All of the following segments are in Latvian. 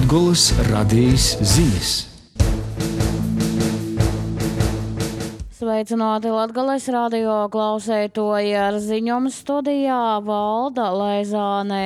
Latgolas radījis ziņas. Sveicināti Latgales radio klausētoji, ar ziņojumu studijā Valda Leizāne.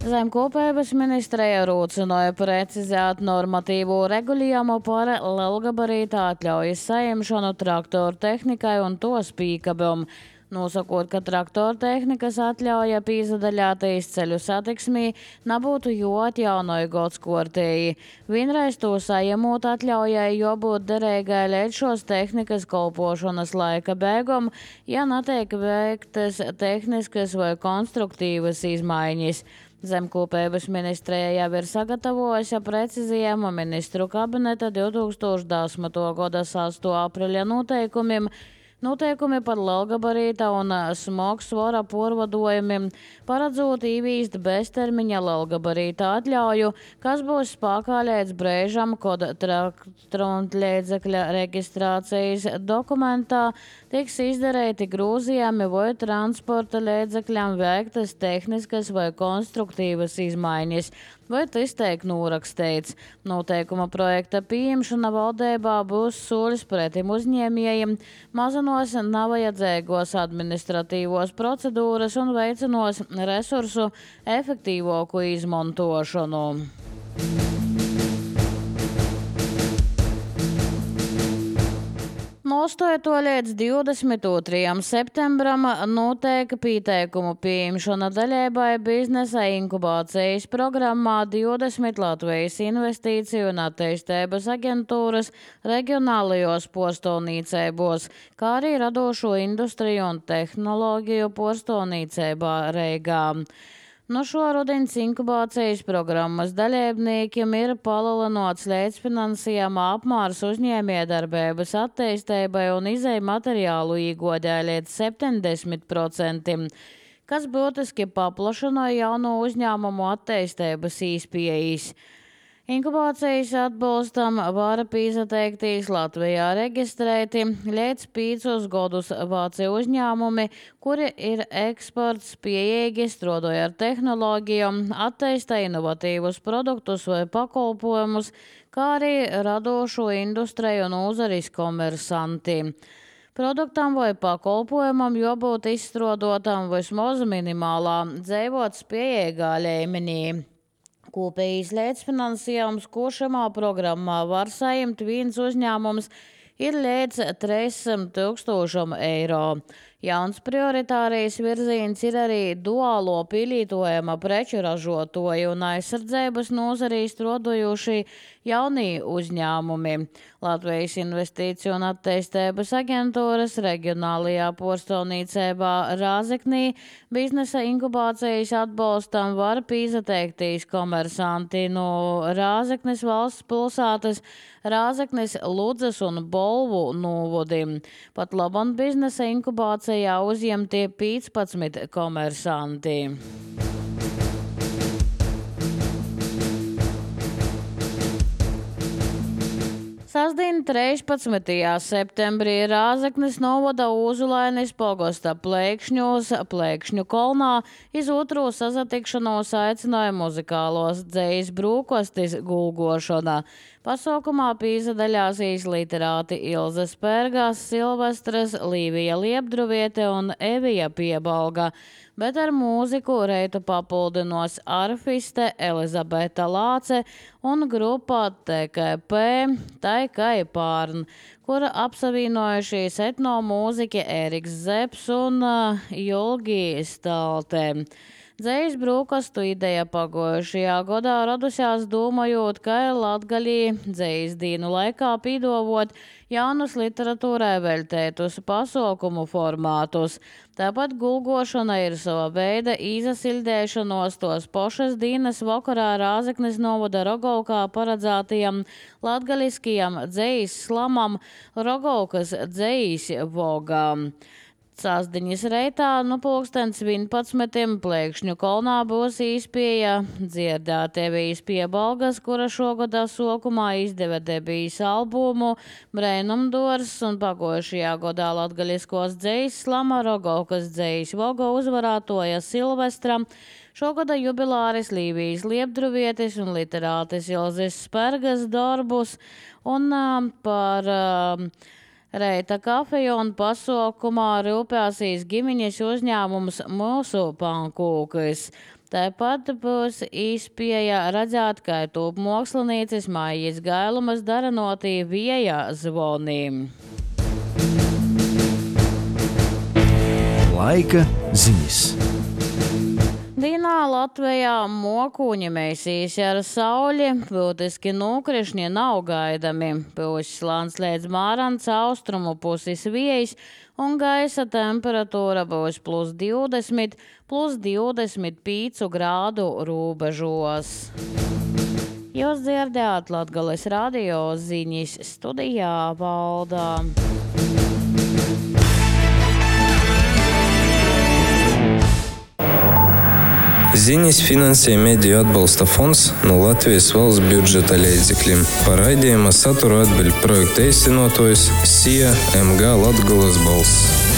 Zemkopības ministrija rūcināja precizēt normatīvo regulējumu par lielgabarīta atļaujas saņemšanu traktoru tehnikai un to spīkabam. Nosakot, ka traktoru tehnikas atļauja pīzadaļātais ceļu satiksmī nebūtu jāatjaunoja godskortēji. Vienreiz to saņemot atļaujai jābūt derīgai līdz šos tehnikas kalpošanas laika beigām, ja netiek veiktas tehniskas vai konstruktīvas izmaiņas. Zemkopības ministrija jau ir sagatavojusi precizējumu ministru kabineta 2010. gada 6. aprīļa noteikumiem. Noteikumi par lielgabarīta un smagsvara pārvadojumiem paredzot ieviest beztermiņa lielgabarīta atļauju, kas būs spēkā līdz brīžam, kad transportlīdzekļa reģistrācijas dokumentā tiks izdarīti grozījumi vai transporta līdzekļam veiktas tehniskas vai konstruktīvas izmaiņas, vai tas tiek norakstīts. Noteikuma projekta pieņemšana valdībā būs solis pretim uzņēmējiem, mazinos nevajadzīgos administratīvos procedūras un veicinās resursu efektīvāku izmantošanu. No 8. līdz 22. septembram notiek pieteikumu pieņemšana dalībai biznesa inkubācijas programmā 20 Latvijas investīciju un attīstības aģentūras reģionālajos postovnīcībos, kā arī radošo industriju un tehnoloģiju postovnīcībā Reigā. No šo rudens inkubācijas programmas dalībniekiem ir palielināts līdzfinansējuma apmērs uzņēmējdarbības attīstībai un izēju materiālu iegādē līdz 70%, kas būtiski paplašināja jauno uzņēmumu attīstības iespējas. Inkubācijas atbalstam var pieteikties Latvijā reģistrēti līdz 5 gadus veci uzņēmumi, kuri ir eksports pieejīgi, strādāja ar tehnoloģijām, attīsta inovatīvus produktus vai pakalpojumus, kā arī radošo industriju un nozares komersanti. Produktam vai pakalpojumam jābūt izstrādotam vismaz minimālā dzīvotspējīgā līmenī. Kopējais līdzfinansējums, ko šajā programmā var saņemt viens uzņēmums, ir līdz 300 000 eiro. Jauns prioritārais virziens ir arī duālo pielietojama preču ražotāju un aizsardzības nozarī strādājošie jaunie uzņēmumi. Latvijas investīciju un attīstības aģentūras reģionālajā postovnīcībā Rāzeknī biznesa inkubācijas atbalstam var pieteikties komersanti no Rāzeknes valsts pilsētas, Rāzeknes, Ludzas un Bolvu novodiem. Pat labam biznesa inkubācijā uzņemtie 15 komersanti. Sasdien 13. septembrī Rāzeknes novada Uzulainis pogosta Plēkšņu kolnā iz otro sasatikšanos aicināja muzikālos dzejas brūkostis gulgošana. Pasaukumā pīzadaļāsīs literāti Ilze Spērgās, Silvestras, Līvija Liepdruviete un Evija Piebalga, bet ar mūziku reitu papildinos arfiste Elizabete Lāce un grupā TKP Taikai Pārn, kura apsavienojušies etnomūziķi Eriks Zeps un Julgi Stalte. Dzejas brūkastu ideja pagojušajā gadā radusies domājot, ka Latgalī dzejas dienu laikā pīdovot jaunus literatūrai veltētus pasaukumu formātus. Tāpat gulgošana ir sava veida izasildēšanos tos pošas dienas vakarā Rāzeknes novada Rogovkā paredzētajam latgaliskajam dzejas slamam Rogovkas dzejas vogām. Sasdiņas reitā no 11. Plēkšņu kolnā būs izpieja dzirdētie bijis piebalgas, kura šogadā sokumā izdeva debijas albumu Breinumdors un pagojušajā godā latgaļiskos dzejs Slama Rogovkas dzejs Vogo uzvarātoja Silvestra, šogada jubilāris Lībijas liepdruvietis un literātis Ilzis Spergas darbus un par reita kafeju un pasaukumā rūpēsīs ģimeņas uzņēmums Mūsu pankūkis. Tāpat būs izpieja redzēt, kā tūp mākslinīcis Maijas Gailumas daranotī Vieja zvonī. Laika ziņas. Dīnā Latvijā mokuņi mēsīs ar sauli, būtiski nokrišņi nav gaidami. Pūs slāns līdz Mārans austrumu puses vējs un gaisa temperatūra būs +20, +25 grādu robežos. Jūs dzirdējāt Latgales radio ziņas, studijā Valdā. Ziņas finansē Mediju atbalsta fonds no Latvijas valsts budžeta līdzekļiem. Par raidījuma saturu atbild projekta īstenotājs SIA MG Latgales balss.